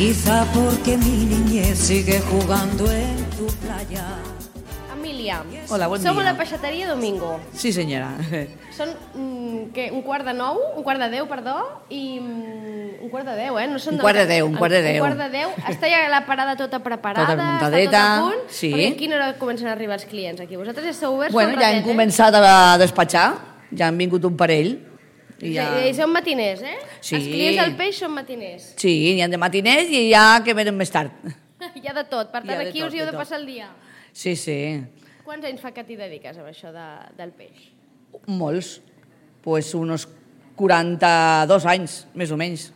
Quizá porque mi niñez sigue jugando en tu playa. Emília, Hola, bon som a la dia. peixateria Domingo. Sí, senyora. Són un quart de 10, perdó, i un quart de 10, eh? No són Un quart de 10, un quart de 10. Un quart de 10. Està ja la parada tota preparada, Tota muntadeta, està tot a punt. sí. Perquè a quina hora comencen a arribar els clients aquí? Vosaltres ja esteu oberts Bueno, fa un ja hem ratet, començat a despatxar, ja han vingut un parell. I són matiners, eh? Sí. Els clients del peix són matiners. Sí, n'hi ha de matiners i hi ha que venen més tard. Hi ha de tot, per Hi tant ha de aquí tot, us hi heu de de tot. passar el dia. Sí, sí, Quants anys fa que t'hi dediques a això del peix? molts. Pues unos 42 anys, més o menys.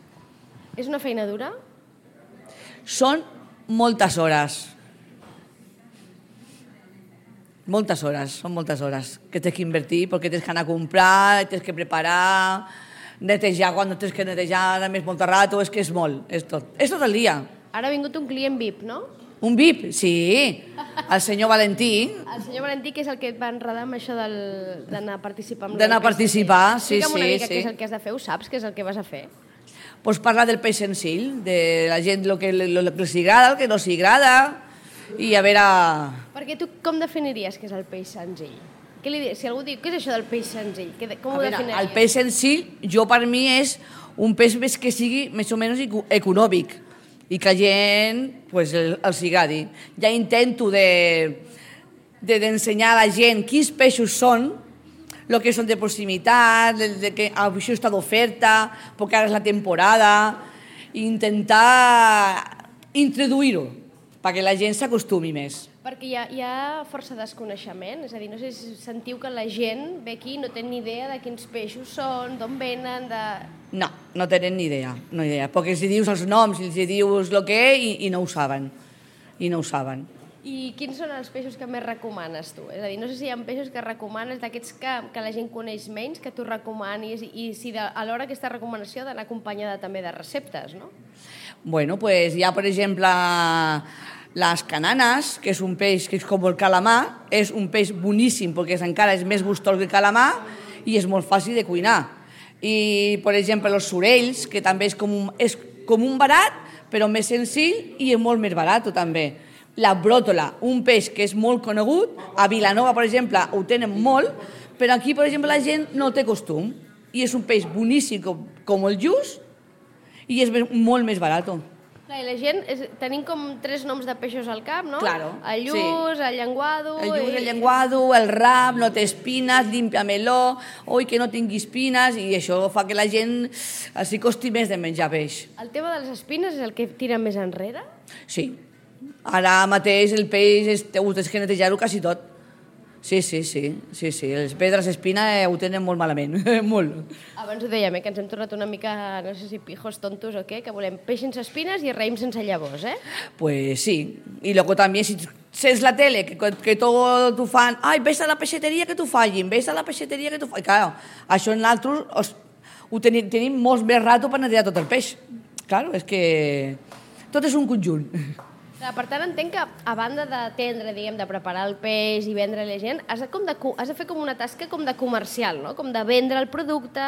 És una feina dura? Són moltes hores. Moltes hores, són moltes hores que tens que invertir perquè tens que anar a comprar, tens que preparar, netejar quan no tens que netejar, a més molt rato, és que és molt, és tot el dia. Ara ha vingut un client VIP, no? Un VIP, sí, el senyor Valentí, El senyor Valentí, que és el que et va enredar amb això d'anar a participar. D'anar a participar, sí, Explica'm una sí, mica sí. què és el que has de fer, ho saps, què és el que vas a fer? pues parlar del peix senzill, de la gent el que els agrada, el que no s'hi agrada, i a veure... Perquè tu com definiries què és el peix senzill? Què li dius? Si algú diu, què és això del peix senzill? Com ho definiries? El peix senzill, jo per mi és un peix més que sigui més o menys econòmic i que la gent pues, els agradi. Ja intento d'ensenyar a la gent quins peixos són, el que són de proximitat, que això està d'oferta, perquè ara és la temporada, i intentar introduir-ho perquè la gent s'acostumi més. Perquè hi ha força desconeixement, és a dir, no sé si sentiu que la gent ve aquí i no té ni idea de quins peixos són, d'on venen, No, no tenen ni idea, perquè els dius els noms, els dius el que i no ho saben, I quins són els peixos que més recomanes tu? És a dir, no sé si hi ha peixos que recomanes, d'aquests que la gent coneix menys, que tu recomanis, i si alhora aquesta recomanació ha d'anar acompanyada també de receptes, no? Bueno, pues hi ha, per exemple, les cananes, que és un peix que és com el calamar, és un peix boníssim perquè encara és més gustós que el calamar i és molt fàcil de cuinar. I, per exemple, els sorells, que també és com un barat, però més senzill i és molt més barat també. La bròtola, un peix que és molt conegut, a Vilanova, per exemple, ho tenen molt, però aquí, per exemple, la gent no té costum. I és un peix boníssim com el lluç i és molt més barat. Clar, i la gent, tenim com 3 noms de peixos al cap, no? Claro, el lluç, el llenguado... El lluç, el llenguado, el rap, no té espines, limpia-meló, oi, que no tingui espines, i això fa que la gent s'hi costi més de menjar peix. El tema de les espines és el que tira més enrere? Sí. Ara mateix el peix ho tens que netejar-ho quasi tot. Sí. Les pedres espina ho tenen molt malament, molt. Abans ho dèiem, que ens hem tornat una mica, no sé si pijos tontos o què, que volem peix sense espines i raïm sense llavors, eh? Pues sí. Y luego también si sents la tele, que tot t'ho fan, ai, vés a la peixateria que t'ho fallin, vés a la peixateria que t'ho fallin. Claro, això nosaltres ho tenim molt més rato per netejar tot el peix. Claro, és que tot és un conjunt. Per tant, entenc que a banda d'atendre, diguem, de preparar el peix i vendre a la gent, has de fer com una tasca com de comercial, no? Com de vendre el producte,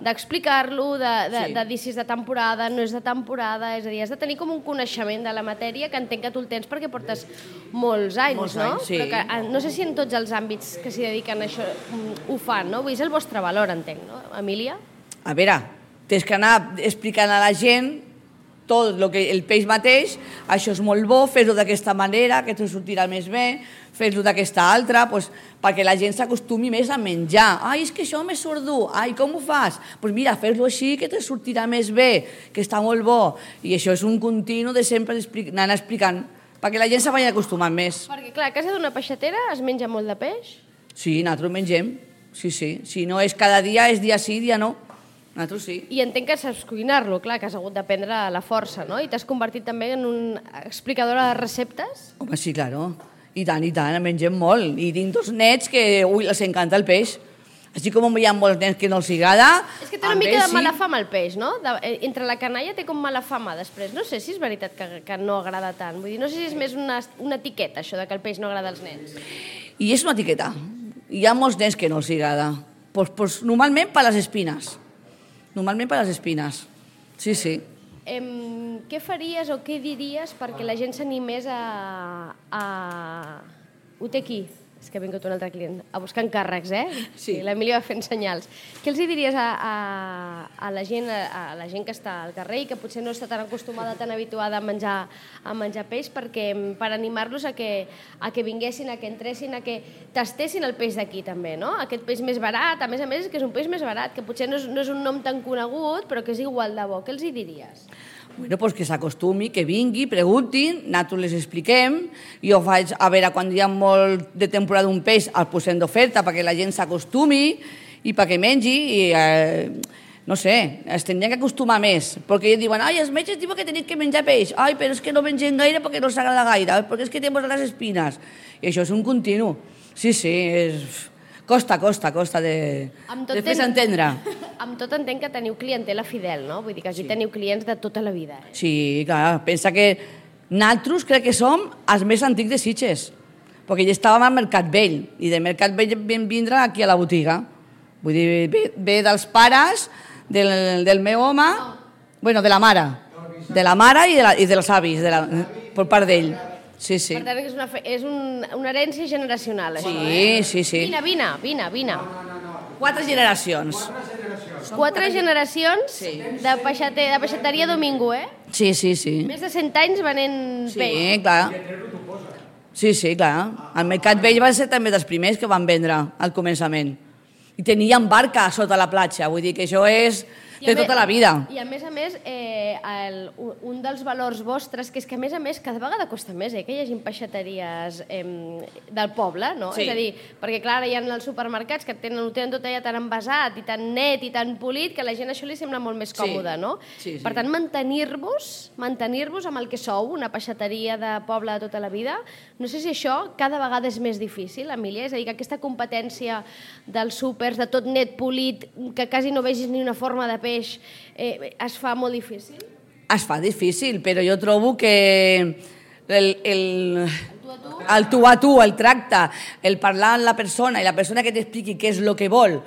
d'explicar-lo, de dir si és de temporada, no és de temporada, és a dir, has de tenir com un coneixement de la matèria que entenc que tu el tens perquè portes molts anys, no? Sí. Però que no sé si en tots els àmbits que s'hi dediquen a això ho fan, no? Vull dir, és el vostre valor, entenc, no, Emília? A veure, tens que anar explicant a la gent tot el peix mateix, això és molt bo, fes-ho d'aquesta manera, que te sortirà més bé, fes-ho d'aquesta altra, perquè la gent s'acostumi més a menjar. Ai, és que això m'és surt dur, ai, com ho fas? Doncs mira, fes-lo així, que te sortirà més bé, que està molt bo. I això és un continu de sempre anar explicant, perquè la gent se vagi acostumant més. Perquè, clar, a casa d'una peixatera es menja molt de peix? Sí, nosaltres mengem, sí. Si no és cada dia, és dia sí, dia no. Nosaltres sí. I entenc que saps cuinar-lo, clar, que has hagut d'aprendre a la força, no? I t'has convertit també en una explicadora de receptes? Home, sí, claro. I tant, mengem molt. I tinc 2 nets que, els encanta el peix. Així com hi ha molts nens que no els agrada... És que té una mica de mala fama el peix, no? Entre la canalla té com mala fama després. No sé si és veritat que no agrada tant. Vull dir, no sé si és més una etiqueta, això de que el peix no agrada als nens. I és una etiqueta. Hi ha molts nens que no els agrada. Normalment per les espines. Sí. què faries o què diries perquè la gent s'animés a... Ho té aquí. És que ha vingut un altre client a buscar encàrrecs, Sí. L'Emili va fent senyals. Què els diries a la gent que està al carrer i que potser no està tan acostumada, tan habituada a menjar peix, per animar-los a que vinguessin, a que entressin, a que tastessin el peix d'aquí també, no? Aquest peix més barat, a més, és que és un peix més barat, que potser no és un nom tan conegut, però que és igual de bo. Què els diries? Bueno, pues que s'acostumi, que vingui, preguntin, nosaltres les expliquem. Jo faig, a veure, quan hi ha molt de temporada d'un peix, el posem d'oferta perquè la gent s'acostumi i perquè mengi i, no sé, es tindrien que acostumar més. Perquè ells diuen, ai, els metges diuen que tenim que menjar peix. Ai, però és que no mengem gaire perquè no els agrada gaire, perquè és que tenen les espines. I això és un continu. Sí, és... Costa de fer-se entendre. Amb tot entenc que teniu clientela fidel, no? Vull dir que aquí teniu clients de tota la vida. Sí, clar. Pensa que nosaltres crec que som els més antics de Sitges, perquè ja estàvem al Mercat Vell, i de Mercat Vell vam vindre aquí a la botiga. Vull dir, ve dels pares, del meu home, bueno, de la mare i dels avis, per part d'ell. Sí. Per tant, és una herència generacional. Sí. Vine. 4 generacions. 4 generacions de peixateria Domingo, Sí. Més de 100 anys venent peix. Sí, clar. Sí, clar. El Mercat Vell va ser també dels primers que van vendre al començament. I tenien barca sota la platja, vull dir que això és de tota la vida. I a més, un dels valors vostres, que és que a més cada vegada costa més que hi hagi peixateries del poble, no? Sí. És a dir, perquè clar, hi ha els supermercats que ho tenen tot allà tan envasat i tan net i tan polit que a la gent això li sembla molt més còmode, no? Sí. Per tant, mantenir-vos amb el que sou, una peixateria de poble de tota la vida, no sé si això cada vegada és més difícil, Emília, és a dir, que aquesta competència dels súpers, de tot net, polit, que quasi no vegis ni una forma de peix, es fa molt difícil? Es fa difícil, però jo trobo que el tu a tu, el tracte, el parlar amb la persona i la persona que t'expliqui què és el que vol.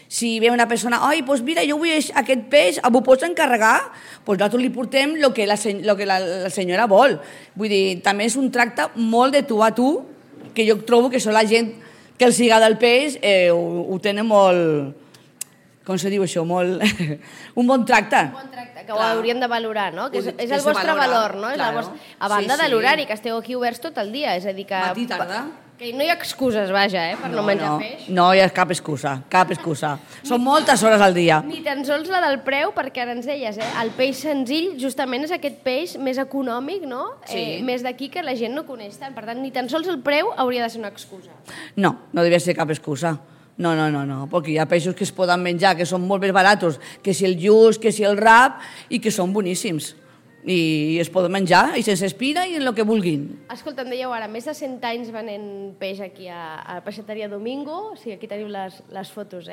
Si ve una persona, ai, doncs mira, jo vull aquest peix, m'ho pots encarregar? Doncs nosaltres li portem el que la senyora vol. Vull dir, també és un tracte molt de tu a tu, que jo trobo que això la gent que els agrada el peix ho tenen molt... Com se diu això? Un bon tracte. Un bon tracte, que ho hauríem de valorar, no? Que és el vostre valor, no? A banda de l'horari, que esteu aquí oberts tot el dia, és a dir que... Matí, tarda. Que no hi ha excuses, vaja, per no menjar peix. No hi ha cap excusa. Són moltes hores al dia. Ni tan sols la del preu, perquè ara ens deies, el peix senzill justament és aquest peix més econòmic, no? Sí. Més d'aquí que la gent no coneix tant. Per tant, ni tan sols el preu hauria de ser una excusa. No devia ser cap excusa. No, perquè hi ha peixos que es poden menjar, que són molt més baratos, que si el lluç, que si el rap, i que són boníssims. I es poden menjar, i sense espina, i en el que vulguin. Escolta, em dèieu ara, més de 100 anys venent peix aquí a la Peixateria Domingo, o sigui, aquí teniu les fotos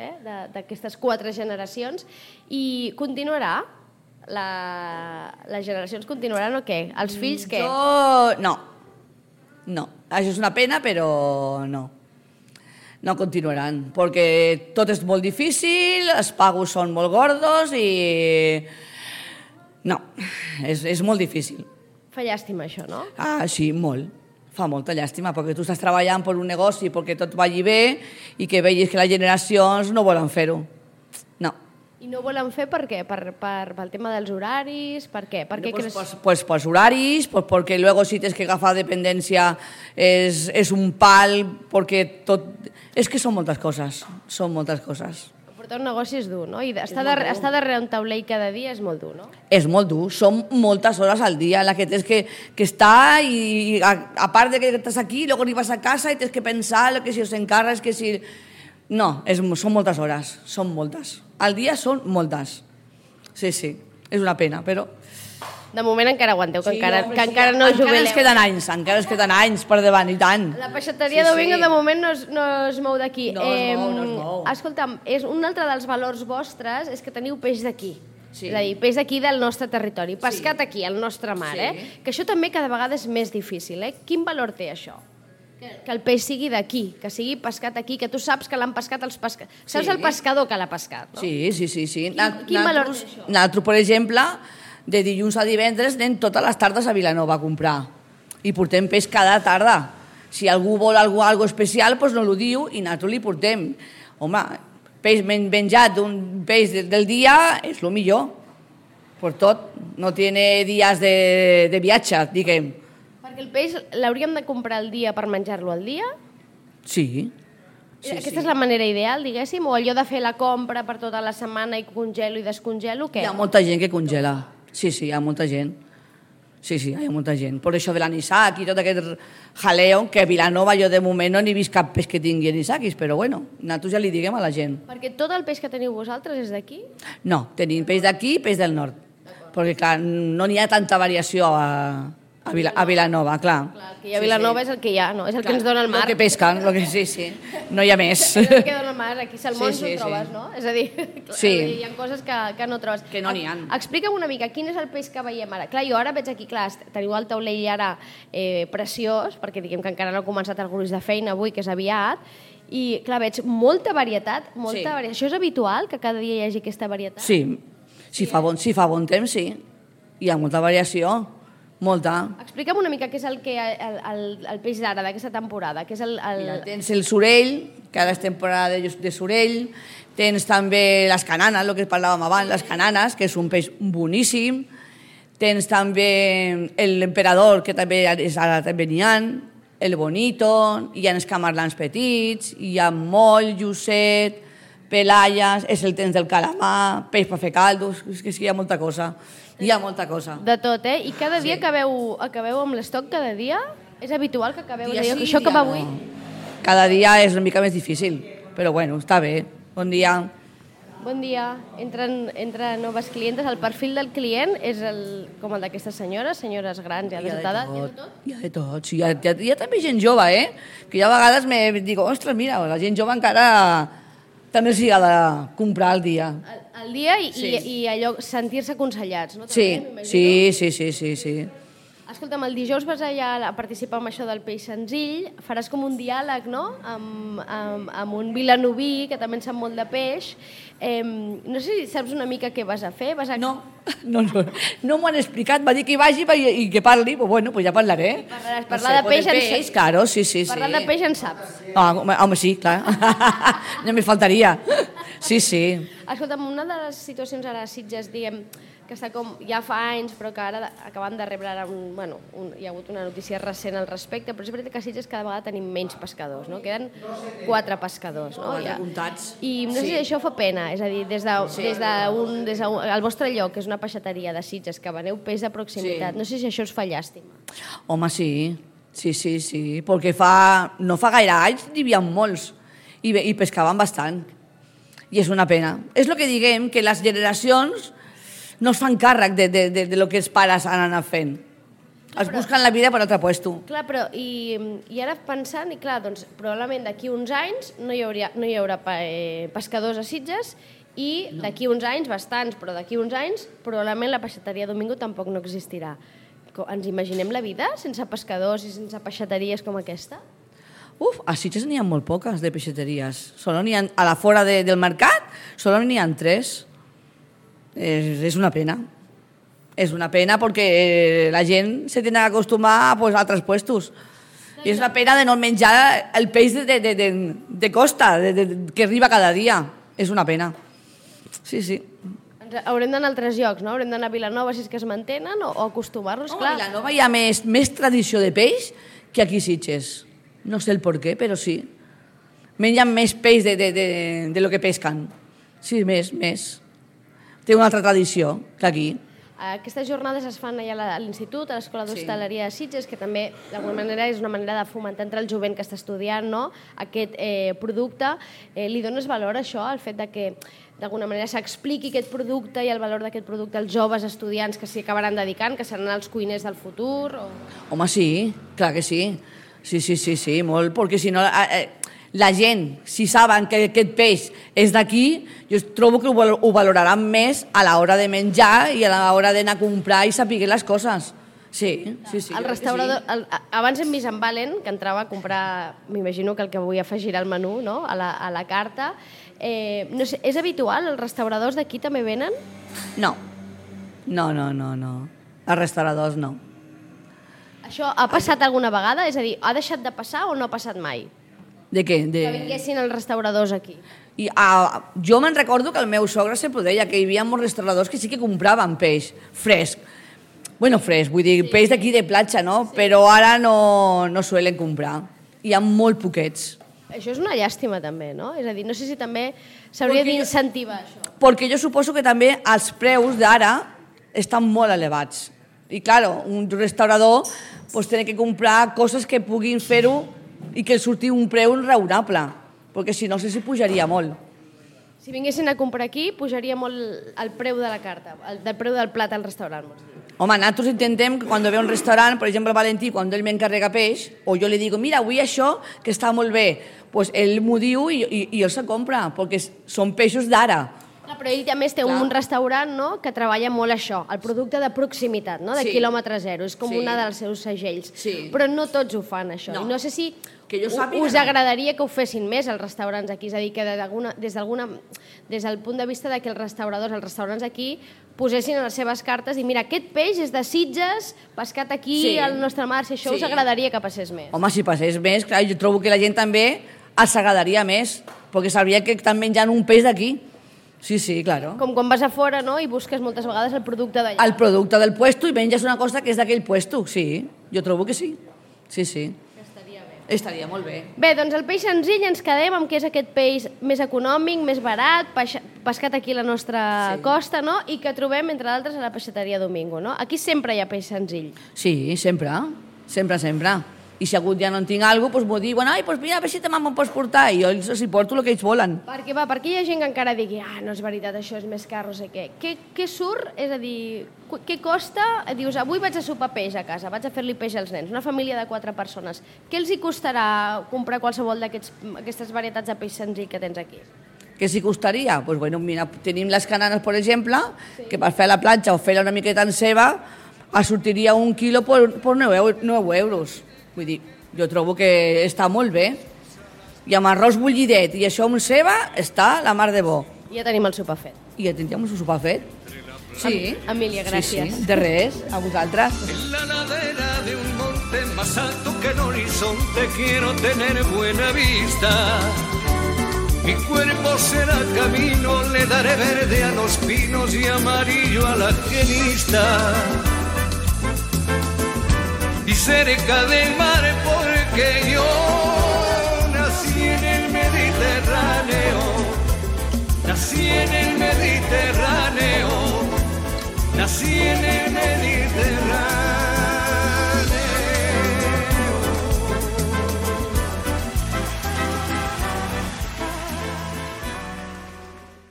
d'aquestes 4 generacions, i continuarà? Les generacions continuaran o què? Els fills què? No. Això és una pena, però no. No continuaran, perquè tot és molt difícil, els pagos són molt gordos i... No, és molt difícil. Fa llàstima això, no? Ah, sí, molt. Fa molta llàstima, perquè tu estàs treballant per un negoci perquè tot vagi bé i que veus que les generacions no volen fer-ho. No. I no volen fer per què? Pel tema dels horaris? Per què? Pues pels horaris, pues perquè luego si tens que agafar dependència és un pal, perquè tot... És que són moltes coses. Portar un negoci és dur, no? I estar darrere un taulell cada dia és molt dur, no? És molt dur, són moltes hores al dia en la que tens que estar i a part de que estàs aquí, luego vas a casa i tens que pensar que si els encarres, que si... No, són moltes hores, són moltes. Al dia són moltes. Sí, és una pena, però... De moment encara aguanteu, que encara no jubileu. Encara es queden anys per davant, i tant. La Peixateria Domingo de moment no es mou d'aquí. No es mou. Escolta'm, un altre dels valors vostres és que teniu peix d'aquí. Sí. És a dir, peix d'aquí del nostre territori, pescat aquí, al nostre mar. Que això també cada vegada és més difícil. Quin valor té això? Que el peix sigui d'aquí, que sigui pescat aquí, que tu saps que l'han pescat els pescadors. Saps el pescador que l'ha pescat, no? Sí. Quin valor té això? Nosaltres, per exemple, de dilluns a divendres anem totes les tardes a Vilanova a comprar. I portem peix cada tarda. Si algú vol algo especial, doncs no l'ho diu i nosaltres li portem. Home, peix menjat d'un peix del dia és el millor. Per tot, no tiene dies de viatge, diguem. Perquè el peix l'hauríem de comprar al dia per menjar-lo al dia? Sí. Aquesta és la manera ideal, diguéssim? O allò de fer la compra per tota la setmana i congelo i descongelo, què? Hi ha molta gent que congela. Sí, hi ha molta gent. Sí, hi ha molta gent. Per això de l'anissac i tot aquest jaleo, que a Vilanova jo de moment no n'he vist cap peix que tingui anissaquis, però bueno, nosaltres ja li diguem a la gent. Perquè tot el peix que teniu vosaltres és d'aquí? No, tenim peix d'aquí i peix del nord. Perquè, clar, no n'hi ha tanta variació a Vilanova, clar. Clar, el que hi ha a Vilanova és el que hi ha, no? És el que ens dona el mar. El que pesquen, sí. No hi ha més. És el que dona el mar, aquí salmons no trobes, no? És a dir, hi ha coses que no trobes. Que no n'hi ha. Explica'm una mica, quin és el peix que veiem ara? Clar, jo ara veig aquí, clar, teniu el taulell ara preciós, perquè diguem que encara no ha començat el gruix de feina avui, que és aviat, i clar, veig molta varietat, varietat. Això és habitual, que cada dia hi hagi aquesta varietat? Sí, si fa bon temps, sí. Hi ha molta variació, molta. Explica'm una mica què és el peix d'ara, d'aquesta temporada. Què és Mira, tens el surell, que ara és temporada de surell, tens també les cananes, el que parlàvem abans, les cananes, que és un peix boníssim, tens també l'emperador, que també ara també n'hi ha, el bonito, hi ha els camarlans petits, hi ha moll, llucet, pelalles, és el temps del calamar, peix per fer caldos, és que hi ha molta cosa. Hi ha molta cosa. De tot, eh? I cada dia acabeu amb l'estoc, cada dia? És habitual que acabeu dia sí, això que va avui? Cada dia és una mica més difícil, però bueno, està bé. Bon dia. Bon dia. Entren noves clientes. El perfil del client és com el d'aquestes senyores grans i adultades. Hi ha de tot. Sí, hi ha també gent jove, que jo a vegades dic, ostres, mira, la gent jove encara també s'hi ha de comprar al dia. Al dia i allò, sentir-se aconsellats, no? Sí. Escolta'm, el dijous vas allà a participar en això del peix senzill, faràs com un diàleg, no?, amb un vilanoví, que també en sap molt de peix. No sé si saps una mica què vas a fer? No m'ho han explicat, va dir que hi vagi i que parli, però bueno, ja parlaré. Parlar de peix en saps. Claro, sí. Parlar de peix en saps. Home, sí, clar. No me faltaria. Sí. Escolta'm, una de les situacions ara a Sitges, diguem, que està com ja fa anys, però que ara acaben de rebre ara hi ha hagut una notícia recent al respecte, però és veritat que a Sitges cada vegada tenim menys pescadors, no? Queden 4 pescadors, no? I no sé si això fa pena, és a dir, des del vostre lloc, que és una peixateria de Sitges, que veneu peix de proximitat, no sé si això us fa llàstima. Home, sí, perquè no fa gaire anys n'hi havia molts i pescaven bastant, i és una pena. És el que diguem, que les generacions no es fan càrrec de lo que els pares han anat fent. Es busquen la vida per altre puesto. Clar, però i ara pensant, i clar, doncs probablement d'aquí uns anys no hi haurà pescadors a Sitges i d'aquí uns anys, bastants, però d'aquí uns anys probablement la peixateria Domingo tampoc no existirà. Ens imaginem la vida sense pescadors i sense peixateries com aquesta? A Sitges n'hi ha molt poques de peixateries. A la fora del mercat solo n'hi ha 3. És una pena. És una pena perquè la gent se tiene que acostumar a altres puestos. I és una pena de no menjar el peix de costa, que arriba cada dia. És una pena. Sí. Haurem d'anar a altres llocs, no? Haurem d'anar a Vilanova si és que es mantenen o acostumar-nos, clar. A Vilanova hi ha més tradició de peix que aquí a Sitges. No sé el per què, però sí. Mengen més peix de lo que pesquen. Sí, més. Té una altra tradició que aquí. Aquestes jornades es fan allà a l'Institut, a l'Escola d'Hostaleria de Sitges, que també d'alguna manera és una manera de fomentar entre el jovent que està estudiant aquest producte. Li dones valor a això, al fet que d'alguna manera s'expliqui aquest producte i el valor d'aquest producte als joves estudiants que s'hi acabaran dedicant, que seran els cuiners del futur? Home, sí, clar que sí. Sí, molt, perquè si no la gent, si saben que aquest peix és d'aquí, jo trobo que ho valoraran més a l'hora de menjar i a l'hora d'anar a comprar i saber les coses. Sí. El restaurador, abans hem vist en Valen, que entrava a comprar, m'imagino que el que avui afegirà al menú, no?, a la carta. No sé, és habitual? Els restauradors d'aquí també venen? No. No. Els restauradors no. Això ha passat alguna vegada? És a dir, ha deixat de passar o no ha passat mai? De què? Que vinguessin els restauradors aquí. Jo me'n recordo que el meu sogre sempre ho deia, que hi havia molts restauradors que sí que compraven peix fresc. Bueno, fresc, vull dir, peix d'aquí de platja, no? Sí. Però ara no suelen comprar. Hi ha molt poquets. Això és una llàstima també, no? És a dir, no sé si també s'hauria d'incentivar això. Perquè jo suposo que també els preus d'ara estan molt elevats. I, claro, un restaurador pues, té que comprar coses que puguin fer-ho i que els surti un preu raonable, perquè si no, si pujaria molt. Si vinguessin a comprar aquí, pujaria molt el preu de la carta, el preu del plat al restaurant. Home, nosaltres intentem que quan ve a un restaurant, per exemple, el Valentí, quan ell m'encarrega peix, o jo li dic, mira, avui això, que està molt bé, pues ell m'ho diu i ell se compra, perquè són peixos d'ara. Però ell, a més, té un restaurant, no?, que treballa molt això, el producte de proximitat, no?, de quilòmetre zero, és com una dels seus segells. Però no tots ho fan, això. I no sé si us agradaria que ho fessin més els restaurants aquí, és a dir, que des del punt de vista que els restaurants aquí posessin a les seves cartes i mira, aquest peix és de Sitges, pescat aquí al nostre mar, si això us agradaria que passés més. Home, si passés més, clar, jo trobo que la gent també els agradaria més, perquè sabria que estan menjant un peix d'aquí. Sí, claro. Com quan vas a fora, no?, i busques moltes vegades el producte d'allà. El producte del puesto i menges una cosa que és d'aquell puesto, sí. Jo trobo que sí. Sí. Estaria bé. Estaria molt bé. Bé, doncs el peix senzill ens quedem amb que és aquest peix més econòmic, més barat, pescat aquí a la nostra costa, no?, i que trobem, entre d'altres, a la peixateria Domingo, no? Aquí sempre hi ha peix senzill. Sí, sempre. I si algun dia no en tinc alguna cosa, doncs m'ho diuen, doncs mira, a veure si te me'n pots portar, i jo els porto el que ells volen. Perquè hi ha gent que encara digui, no és veritat, això és més car, no sé què. Què surt? És a dir, què costa? Dius, avui vaig a sopar peix a casa, vaig a fer-li peix als nens, una família de 4 persones. Què els hi costarà comprar qualsevol d'aquestes varietats de peix senzill que tens aquí? Què s'hi costaria? Doncs bueno, mira, tenim les cananes, per exemple, que per fer a la platja o fer-la una miqueta en ceba, sortiria un quilo per 9 euros. Vull dir, jo trobo que està molt bé. I amb arròs bullidet i això amb ceba està la mar de bo. I ja tenim el sopar fet. I ja teníem el sopar fet. Sí. Emília, gràcies. Sí. De res, a vosaltres. En la ladera de un monte más alto que el horizonte quiero tener buena vista. Mi cuerpo será camino, le daré verde a los pinos y amarillo a la genista. Y cerca del mar porque yo nací en el Mediterráneo, nací en el Mediterráneo, nací en el Mediterráneo.